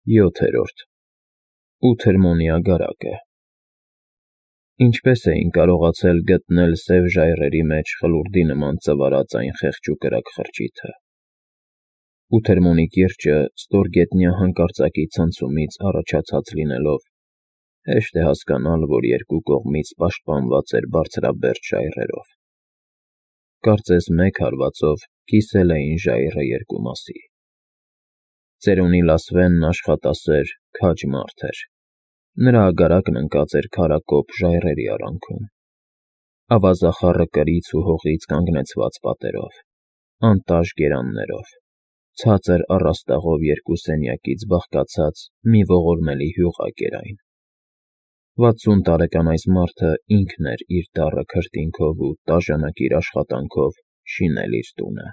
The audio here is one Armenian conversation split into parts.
7. Ութերմոնի ագարակը Ինչպես էին կարողացել գտնել սև ժայռերի մեջ խլուրդի նման ծվարած այն խեղճ ու կրակ խրճիթը։ Ութերմոնի կիրճը ստորգետնյա հանկարծակի ցնցումից առաջացած լինելով, հեշտ է հասկանալ, որ երկու կողմից պաշտպանված էր բարձրաբերդ ժայռերով։ Կարծես մեկ հարվածով կիսել էին ժայռը երկու մասի։ Ծերունի Լասվենն աշխատասեր, քաջ մարդ էր։ Նրա ագարակն ընկած էր քարակոպ ժայռերի արանքում։ Ավազախառը կրից ու հողից կանգնեցված պատերով, անտաշ գերաններով, ցածր առաստաղով երկու սենյակից բաղկացած մի ողորմելի հյուղակ էր այն։ 60 տարեկան այս մարդը ինքն էր իր դառը քրտինքով ու տաժանակիր աշխատանքով շինել իր տունը։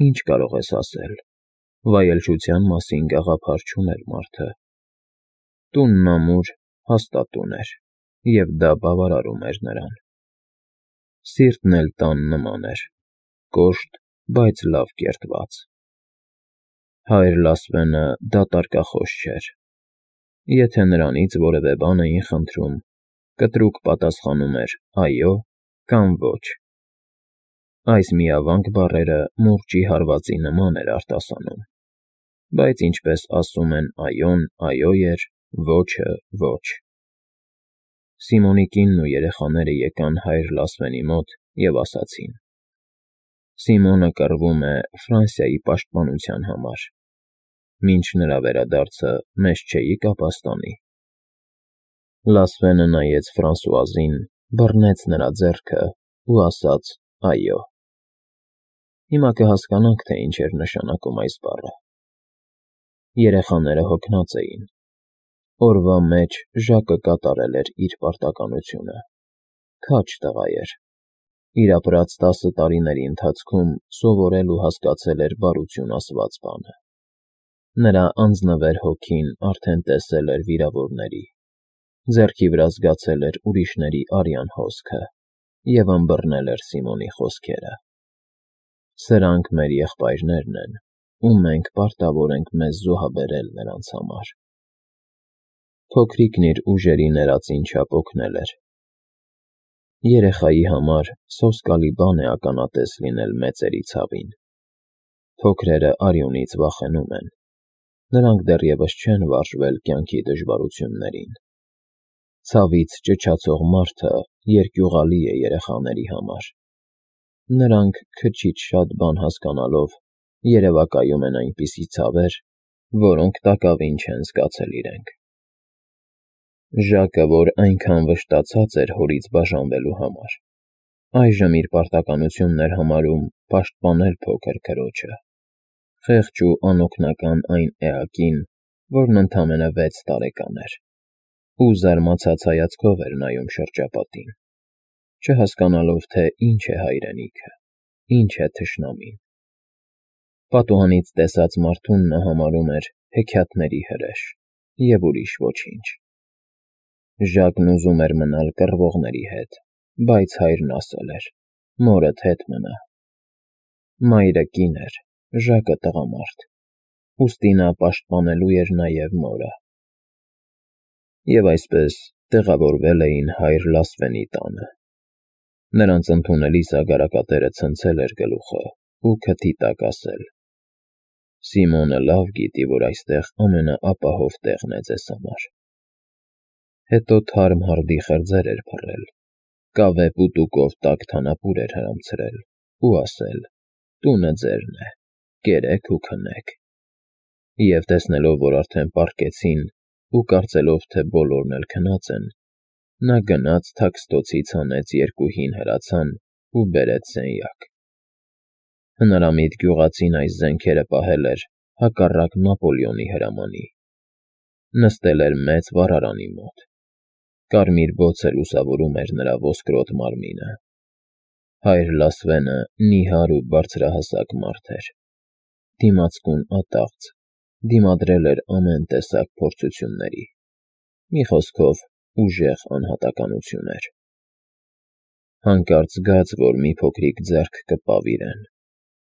Ինչ կարող ես ասել, վայելչության մասին գաղափար չուներ մարդը։ Տունն ամուր, հաստատ տուն էր, և դա բավարարում էր նրան։ Սիրտն էլ տան նման էր, կոշտ, բայց լավ կերտված։ Հայր Լասվենը դատարկախոս չէր։ Եթե նրանից որևէ բան էին խնդրում, կտրուկ պատասխանում էր այո կամ ոչ։ Այս միավանք բառերը մուրճի հարվածի նման էր արտասանում, բայց ինչպես ասում են այոն այո էր, ոչը ոչ։ Սիմոնի կինն ու երեխաները եկան հայր Լասվենի մոտ և ասացին. Սիմոնը կռվում է Ֆրանսիայի պաշտպանության համար։ Մինչ նրա վերադարձը մեզ չէիք ապաստանի։ Լասվենը նայեց Ֆրանսուազին, բռնեց նրա ձեռքը ու ասաց այո։ Հիմա կհասկանաք, թե ինչ էր նշանակում այս բառը։ Երեխաները հոգնած էին։ Օրվա մեջ Ժակը կատարել էր իր պարտականությունը։ Քաջ տղա էր։ Իր ապրած 10 տարիների ընթացքում սովորել ու հասկացել էր բարություն ասված բանը։ Նրա անձնվեր հոգին արդեն տեսել էր վիրավորների, ձեռքի վրա զգացել էր ուրիշների արյան հոսքը և ըմբռնել էր Սիմոնի խոսքերը։ Սրանք մեր եղբայրներն են, ու մենք պարտավոր ենք մեզ զոհաբերել նրանց համար։ Փոքրիկն իր ուժերի ներածին չափ օգնել էր։ Երեխայի համար սոսկալի բան է ականատես լինել մեծերի ցավին։ Փոքրերը արյունից վախենում են։ Նրանք դեռևս չեն վարժվել կյանքի դժվարություններին։ Ցավից ճչացող մարդը երկյուղալի է երեխաների համար։ Նրանք քչից շատ բան հասկանալով երևակայում են այնպիսի ցավեր, որոնք տակավին չեն զգացել իրենք։ Ժակը, որ այնքան վշտացած էր հորից բաժանվելու համար, այժմ իր պարտականությունն էր համարում պաշտպանել փոքր քրոջը, խեղճ ու անօգնական այն էակին, որն ընդամենը 6 տարեկան էր, ու զարմացած հայացքով էր նայում շրջապատին, չհասկանալով, թե ինչ է հայրենիքը, ինչ է թշնամին։ Պատուհանից տեսած մարդուն նա համարում էր հեքիաթների հրեշ և ուրիշ ոչինչ։ Ժակն ուզում էր մնալ կռվողների հետ, բայց հայրն ասել էր. մորդ հետ մնա։ Մայրը կին էր, Ժակը տղամարդ, ուստի նա պաշտպանելու էր նաև մորը։ Եվ այսպես տեղավորվել էին հայր Լասվենի տանը։ Նրանց ընդունելիս ագարակատերը ցնցել էր գլուխը ու քթի տակ ասել. Սիմոնը լավ գիտի, որ այստեղ ամենաապահով տեղն է ձեզ համար։ Հետո թարմ հրդի խրձեր էր փռել, կավե պուտուկով տաք թանապուր էր հրամցրել ու ասել. տունը ձերն է, կերեք ու քնեք։ Եվ տեսնելով, որ արդեն պառկեցին ու կարծելով, թե բոլորն էլ քնած են, նա գնաց թաքստոցից հանեց 2 հին հրացան ու բերեց սենյակ։ Հնարամիտ գյուղացին այս զենքերը պահել էր հակառակ Նապոլեոնի հրամանի։ Նստել էր մեծ վառարանի մոտ։ Կարմիր բոցը լուսավորում էր նրա ոսկրոտ մարմինը։ Հայր Լասվենը նիհար ու բարձրահասակ մարդ էր։ Դիմացկուն ատաղծ, դիմադրել էր ամեն տեսակ փորձությունների։ Մի խոսքով, ուժեղ անհատականություն էր։ Հանկարծ զգաց, որ մի փոքրիկ ձեռք կպավ իրեն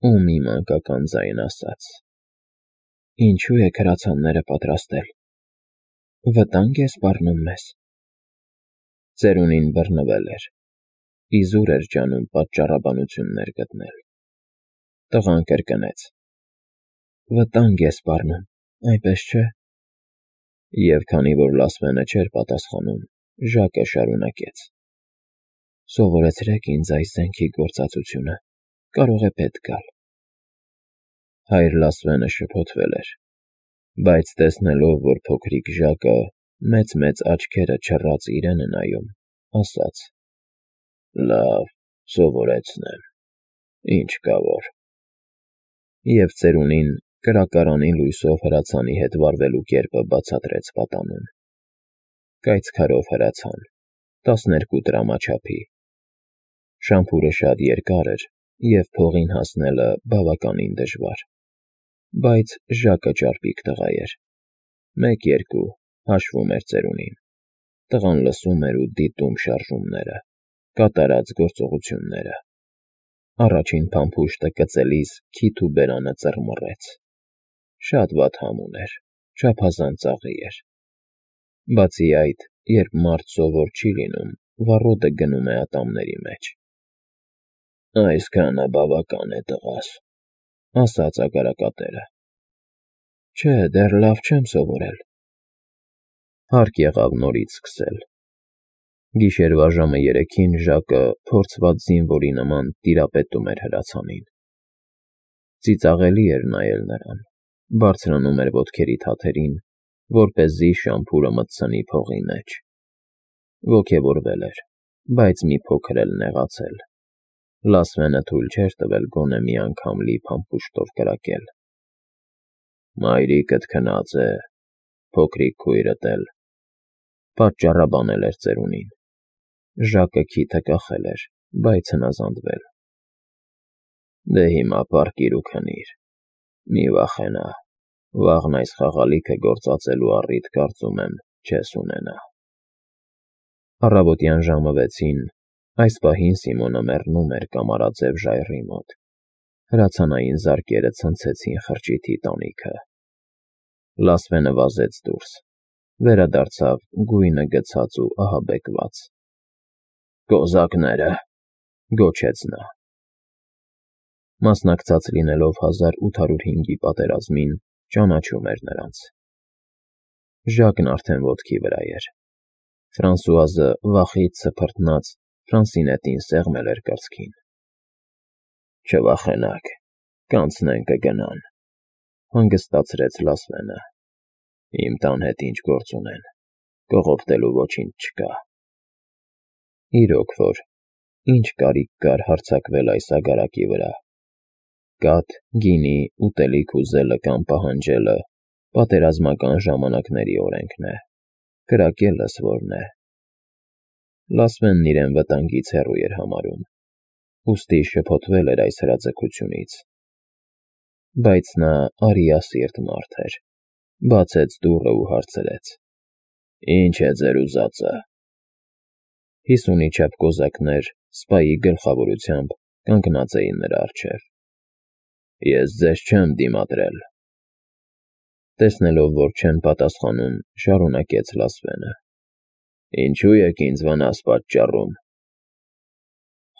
ու մի մանկական ձայն ասաց. Ինչու եք հրացանները պատրաստել։ Վտանգ է սպառնում մեզ։ Ծերունին բռնվել էր։ Իզուր էր ջանում պատճառաբանություններ գտնել։ Տղան կրկնեց. Վտանգ է սպառնում, այնպես չէ։ Եվ քանի որ Լասվենը չէր պատասխանում, Ժակը շարունակեց. Սովորեցրեք ինձ այս զենքի գործածությունը, կարող է պետք գալ։ Հայր Լասվենը շփոթվել էր, բայց տեսնելով, որ փոքրիկ Ժակը մեծ աչքերը չռած իրեն է նայում, ասաց. Լավ, սովորեցնեմ, ինչ կա որ։ Եվ ծերունին կրակարանի լույսով հրացանի հետ վարվելու կերպը բացատրեց պատանուն։ Կայծքարով հրացան, 12 տրամաչափի։ Շամփուրը շատ երկար էր, և փողին հասնելը բավականին դժվար, բայց Ժակը ճարպիկ տղա էր։ 1-2 հաշվում էր ծերունին։ Տղան լսում էր ու դիտում շարժումները, կատարած գործողությունները։ Առաջին փամփուշտը կծելիս քիթ ու բերանը ծռմռեց։ Շատ վատ համ ուներ, չափազանց ծաղի էր։ Բացի այդ, երբ մարդ սովոր չի լինում, վառոդը գնում է ատամների մեջ։ Այսքանը բավական է, տղաս, ասաց ագարակատերը։ Չէ, դեռ լավ չեմ սովորել։ Հարկ եղավ նորից սկսել։ Գիշերվա ժամը 3-ին Ժակը փորձված զինվորի նման տիրապետում էր հրացանին։ Ծիծաղելի էր նայել նրան, բարձրանում էր ոտքերի թաթերին, որպեսզի շամփուրը մտցնի փողի մեջ։ Ոգևորվել էր, բայց մի փոքր էլ նեղացել։ Լասվենը թույլ չէր տվել գոնե մի անգամ լի փամփուշտով կրակել։ Մայրիկդ քնած է, փոքրիկ քույրդ էլ, պատճառաբանել էր ծերունին։ Ժակը քիթը կախել էր, բայց հնազանդվել։ Դե հիմա պառկիր ու քնիր, մի վախենա, վաղն այս խաղալիքը գործածելու առիթ կարծում եմ չես ունենա։ Առավոտյան ժամը 6-ին, այս պահին Սիմոնը մեռնում էր կամարաձև ժայռի մոտ։ Հրացանային զարկերը ցնցեցին խրճիթի տանիքը։ Լասվենը վազեց դուրս, վերադարձավ գույնը գցած ու ահաբեկված։ Կոզակները, գոչեց նա։ Մասնակցած լինելով 1805-ի պատերազմին, ճանաչում էր նրանց։ Ժակն արդեն ոտքի վրա էր։ Ֆրանսուազը վախից սփռտնած Ֆրանսինետին սեղմել էր կրծքին։ Չվախենաք, կանցնեն կգնան, հանգստացրեց Լասվենը։ Իմ տան հետ ինչ գործ ունեն, կողոպտելու ոչինչ չկա։ Իրոք որ, ինչ կարիք կար հարձակվել այս ագարակի վրա։ Կաթ, գինի, ուտելիք ուզելը կամ պահանջելը պատերազմական ժամանակների օրենքն է, կրակելս որն է։ Լասվենն իրեն վտանգից հեռու էր համարում, ուստի շփոթվել էր այս հրաձգությունից։ Բայց նա արիասիրտ մարդ էր, բացեց դուռը ու հարցրեց. Ինչ է ձեր ուզածը։ 50-ի չափ կոզակներ սպայի գլխավորությամբ կանգնած էին նրա առջև։ Ես ձեզ չեմ դիմադրել։ Տեսնելով, որ չեն պատասխանում, շարունակեց Լասվենը. Ինչու եք ինձ վնաս պատճառում։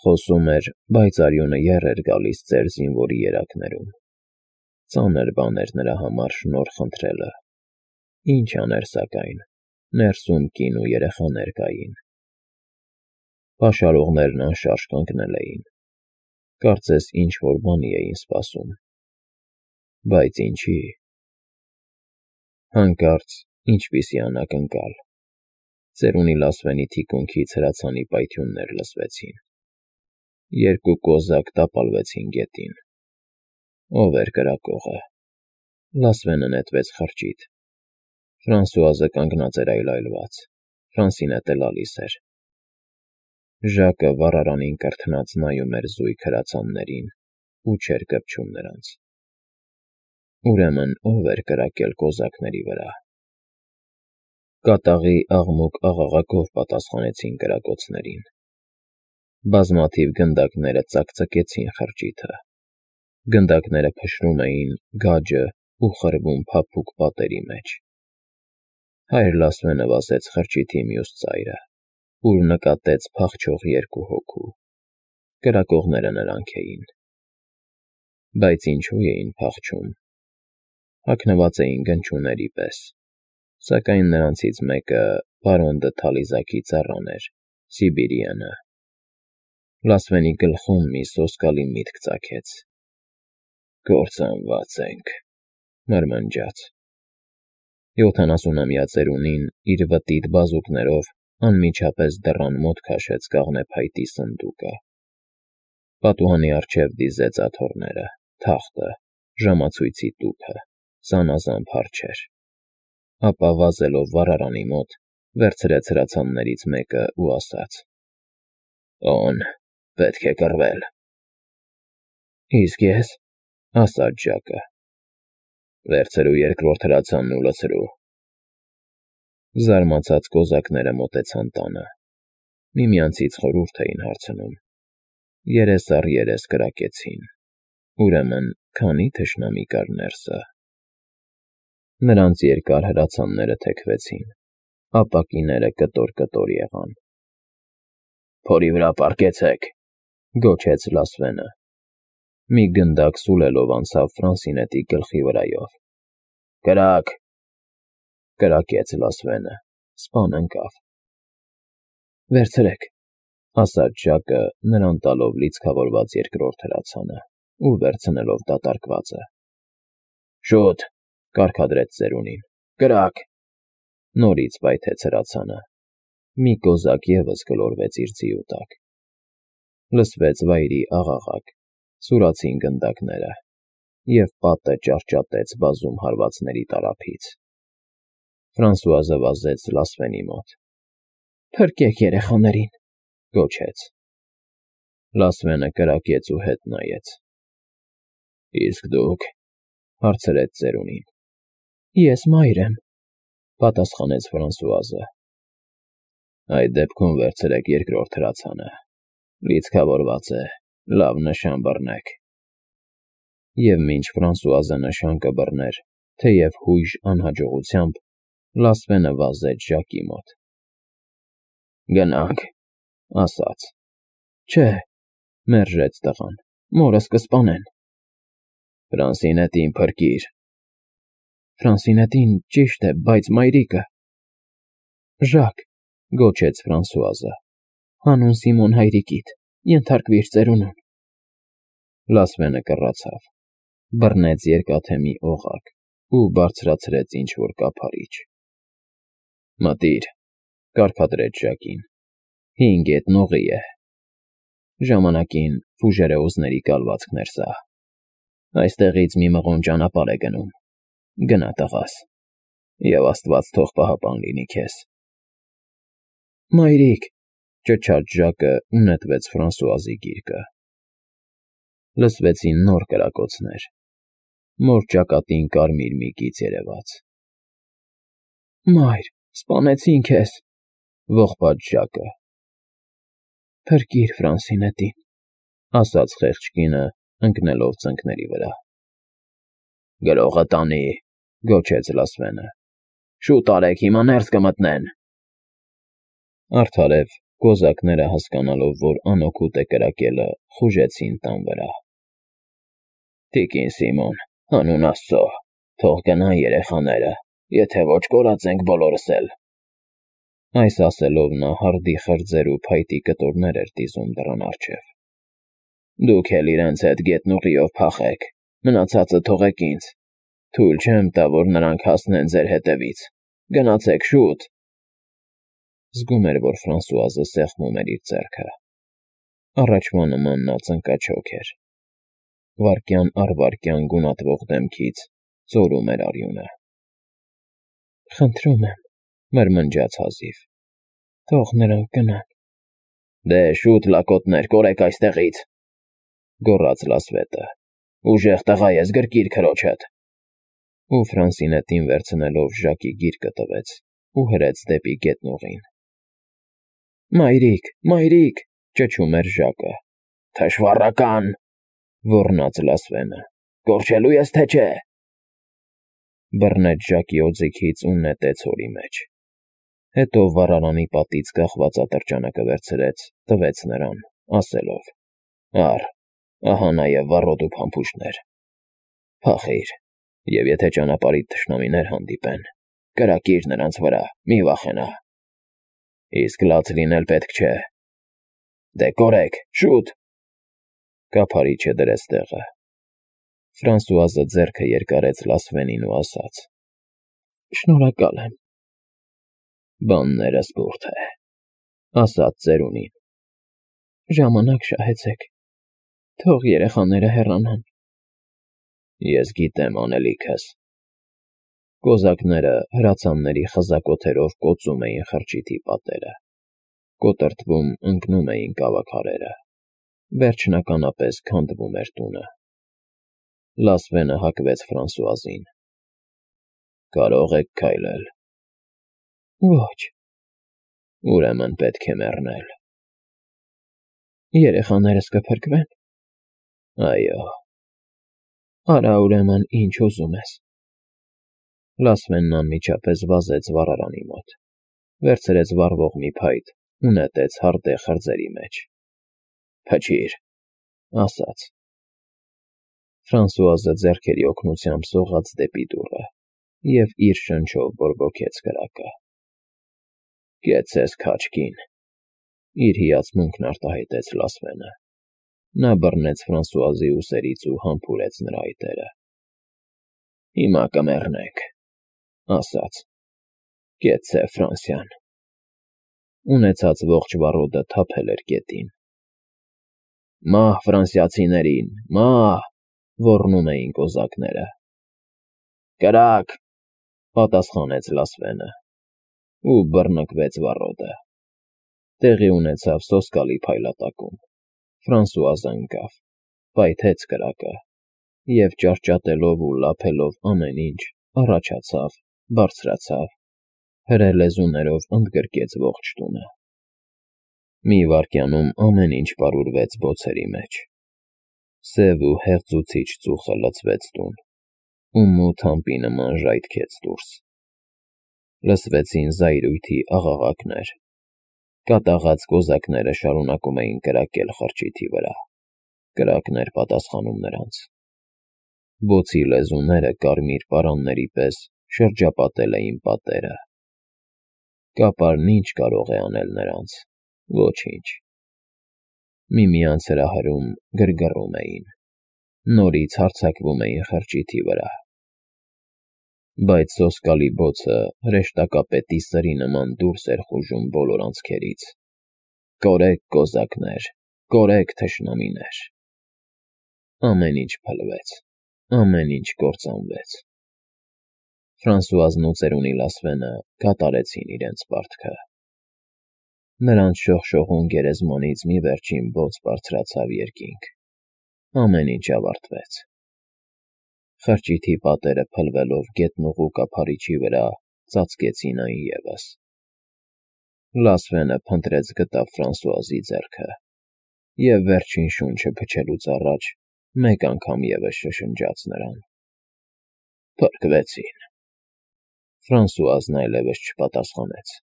Խոսում էր, բայց արյունը եռ էր գալիս ծեր զինվորի երակներում։ Ծանր բան էր նրա համար շնորհ խնդրելը։ Ինչ աներ սակայն, ներսում կին ու երեխաներ կային։ Պաշարողներն անշարժ կանգնել էին։ Կարծես ինչ-որ բանի էին սպասում։ Բայց ինչի։ Հանկարծ ինչպիսի անակնկալ։ Ծերունի Լասվենի թիկունքից հրացանի պայթյուններ լսվեցին։ 2 կոզակ տապալվեցին գետին։ Ո՞վ էր կրակողը։ Լասվենը նետվեց խրճիթ։ Ֆրանսուազը կանգնած էր այլայլված, Ֆրանսինետը լալիս էր։ Ժակը վառարանին կրթնած նայում էր զույգ հրացաններին ու չէր կպչում նրանց։ Ուրեմն ո՞վ էր կրակել կոզակների վրա։ Կատաղի աղմուկ աղաղակով պատասխանեցին կրակոցներին։ Բազմաթիվ գնդակները ծակծկեցին խրճիթը։ Գնդակները փշրում էին գաջը, ու խրվում փափուկ պատերի մեջ։ Հայր Լասվենը վազեց խրճիթի մյուս ծայրը, ուր նկատեց փախչող երկու հոգու։ Կրակողները նրանք էին։ Բայց ինչու էին փախչում։ Հագնված էին գնչուների պես, սակայն նրանցից մեկը պարոն Դթալիզակի ծառան էր, Սիբիրյանը։ Լասվենի գլխում մի սոսկալի միտք ծագեց։ «Կործանված ենք», մրմնջաց։ 70-ամյա ծերունին իր վտիտ բազուկներով անմիջապես դռան մոտ քաշեց կաղնեփայտի սնդուկը։ Պատուհանի առջև դիզեց աթոռները, թախտը, ժամացույցի տուփը, զանազան փարչեր։ Ապա վազելով վառարանի մոտ, վերցրեց հրացաններից մեկը ու ասաց. «Օն, պետք է կռվել»։ «Իսկ ես», ասաց Ժակը։ «Վերցրու երկրորդ հրացանն ու լցրու»։ Զարմացած կոզակները մոտեցան տանը։ Միմյանցից խորհուրդ էին հարցնում։ Երես առ երես կրակեցին։ Ուրեմն քանի՞ թշնամի կար ներսը։ Նրանց երկար հրացանները թեքվեցին, ապակիները կտոր-կտոր եղան։ «Փորի վրա պառկեցեք», գոչեց Լասվենը։ Մի գնդակ սուլելով անցավ Ֆրանսինետի գլխի վրայով։ «Կրակ», կրակեց Լասվենը, սպան ընկավ։ «Վերցրեք», ասաց Ժակը, նրան տալով լիցքավորված երկրորդ հրացանը ու վերցնելով դատարկվածը։ «Շուտ», կարգադրեց ծերունին, «կրակ»։ Նորից պայթեց հրացանը։ Մի կոզակ ևս գլորվեց իր ձիու տակ։ Լսվեց վայրի աղաղակ, սուրացին գնդակները, և պատը ճարճատեց բազում հարվածների տարափից։ Ֆրանսուազը վազեց Լասվենի մոտ։ «Փրկեք երեխաներին», գոչեց։ Լասվենը կրակեց ու հետ նայեց։ «Իսկ դուք», հարցրեց ծերունին։ «Ես մայր եմ», պատասխանեց Ֆրանսուազը։ «Այդ դեպքում վերցրեք երկրորդ հրացանը։ Լիցքավորված է, լավ նշան բռնեք»։ Եվ մինչ Ֆրանսուազը նշան կբռներ, թեև հույժ անհաջողությամբ, Լասվենը վազեց Ժակի մոտ։ «Գնանք», ասաց։ «Չէ», մերժեց տղան, «մորս կսպանեն»։ «Ֆրանսինետին փրկիր»։ «Ֆրանսինետին ճիշտ է, բայց մայրիկը»։ «Ժակ», գոչեց Ֆրանսուազը, «հանուն Սիմոն հայրիկիդ, ենթարկվիր ծերունուն»։ Լասվենը կռացավ, բռնեց երկաթե մի օղակ ու բարձրացրեց ինչ-որ կափարիչ։ «Մտիր», կարգադրեց Ժակին, «5 գետնուղի է»։ Ժամանակին Ֆուժերեոզների կալվածքն էր սա։ Այստեղից մի մղոն ճանապարհ է գնում։ Գնա, տղաս, և Աստված թող պահապան լինի քեզ։ «Մայրիկ», ճչաց Ժակը ու նետվեց Ֆրանսուազի գիրկը։ Լսվեցին նոր կրակոցներ։ Մոր ճակատին կարմիր մի գիծ երևաց։ «Մայր, սպանեցին քեզ», ողբաց Ժակը։ «Փրկիր Ֆրանսինետին», ասաց խեղճ կինը, ընկնելով ծնկների վրա։ «Գրողը տանի», գոչեց Լասվենը։ «Շուտ արեք, հիմա ներս կմտնեն»։ Արդարև, կոզակները հասկանալով, որ անօգուտ է կրակելը, խուժեցին տան վրա։ «Տիկին Սիմոն, հանուն Աստծո, թող գնան երեխաները, եթե ոչ կորած ենք բոլորս էլ»։ Այս ասելով նա հարդի խրձեր ու փայտի կտորներ էր դիզում դռան առջև։ «Դուք էլ իրենց հետ գետնուղիով փախեք, մնացածը թողեք ինձ։ Թույլ չեմ տա, որ նրանք հասնեն ձեր հետևից։ Գնացեք շուտ»։ Զգում էր, որ Ֆրանսուազը սեղմում էր իր ձեռքը։ Առաջվա նման նա ծնկաչոք էր։ Վայրկյան առ վայրկյան գունատվող դեմքից ծորում էր արյունը։ «Խնդրում եմ», մրմնջաց հազիվ, «թող նրանք գնան»։ «Դե շուտ, լակոտներ, կորեք այստեղից», գոռաց Լասվետը։ «Ուժեղ տղա ես, գրկիր քրոջդ»։ Ու Ֆրանսինետին վերցնելով Ժակի գիրկը տվեց ու հրեց դեպի գետնուղին։ «Մայրիկ, մայրիկ», ճչում էր Ժակը։ «Թշվառական», ոռնաց Լասվենը, «կորչելու ես թե չէ»։ բռնեց ժակի օձիքից ու նետեց հորի մեջ։ Հետո վառարանի պատից կախված ատրճանակը վերցրեց, տվեց նրան, ասելով. «Առ, ահա նաև վառոդու փամփուշտներ։ Փախիր, և եթե ճանապարհիդ թշնամիներ հանդիպեն, կրակիր նրանց վրա, մի վախենա։ Իսկ լաց լինել պետք չէ։ Դե կորեք, շուտ»։ Կափարիչը դրեց տեղը։ Ֆրանսուազը ձեռքը երկարեց Լասվենին ու ասաց. «Շնորհակալ եմ»։ «Բանները սփորթ է», ասաց ծերունին։ «Ժամանակ շահեցեք, թող երեխաները հեռանան»։ «Ես գիտեմ անելիքս»։ Կոզակները հրացանների խզակոթերով կոծում էին խրճիթի պատերը, կոտրտվում ընկնում էին կավաքարերը, վերջնականապես քանդվում էր տունը։ Լասվենը հակվեց Ֆրանսուազին։ «Կարող եք քայլել»։ «Ոչ»։ «Ուրեմն պետք է մեռնել»։ «Երեխաներս կփրկվե՞ն»։ «Այո»։ «Արա ուրեմն ինչ ուզում ես»։ Լասվենն անմիջապես վազեց վառարանի մոտ, վերցրեց վառվող մի փայտ ու նետեց հարտե խրձերի մեջ։ «Փչիր», ասաց։ Ֆրանսուազը ձեռքերի օգնությամբ սողաց դեպի դուռը և իր շնչով բորբոքեց կրակը։ «Կեցցես քաջ, կին», իր հիացմունքն արտահայտեց Լասվենը։ Նա բռնեց Ֆրանսուազի ուսերից ու համբուրեց նրա այտերը։ «Հիմա կմեռնեք», ասաց։ «Կեցցե Ֆրանսիան»։ Ունեցած ողջ վառոդը թափել էր գետին։ «Մահ ֆրանսիացիներին, մահ», ոռնում էին կոզակները։ «Կրակ», պատասխանեց Լասվենը, ու բռնկվեց վառոդը։ Տեղի ունեցավ սոսկալի փայլատակում։ Ֆրանսուազը ընկավ, պայթեց կրակը և, ճարճատելով ու լափելով ամեն ինչ, առաջացավ, բարձրացավ, հրե լեզուներով ընդգրկեց ողջ տունը։ Մի վայրկյանում ամեն ինչ պարուրվեց բոցերի մեջ։ Սև ու հեղձուցիչ ծուխը լցվեց տուն, ու մութ ամպի նման ժայթքեց դուրս։ Լսվեցին զայրույթի աղաղակներ։ Կատաղած կոզակները շարունակում էին կրակել խրճիթի վրա։ Կրակն էր պատասխանում նրանց։ Բոցի լեզուները կարմիր պարանների պես շրջապատել էին պատերը։ Կապարն ինչ կարող է անել նրանց։ Ոչինչ։ Միմյանց հրահրում գրգռում էին, նորից հարձակվում էին խրճիթի վրա։ Բայց սոսկալի բոցը հրեշտակապետի սրի նման դուրս էր խուժում բոլոր անցքերից։ «Կորեք, կոզակներ, կորեք, թշնամիներ»։ Ամեն ինչ փլվեց, ամեն ինչ կործանվեց։ Ֆրանսուազն ու ծերունի Լասվենը կատարեցին իրենց պարտքը։ Նրանց շողշողուն գերեզմանից մի վերջին բոց բարձրացավ երկինք։ Ամեն ինչ ավարտվեց։ Խրճիթի պատերը փլվելով գետնուղու կափարիչի վրա ծածկեցին այն ևս։ Լասվենը փնտրեց գտավ Ֆրանսուազի ձեռքը և վերջին շունչը փչելուց առաջ մեկ անգամ ևս շշնջաց նրան։ Փրկվեցին։ Ֆրանսուազն այլևս չպատասխանեց։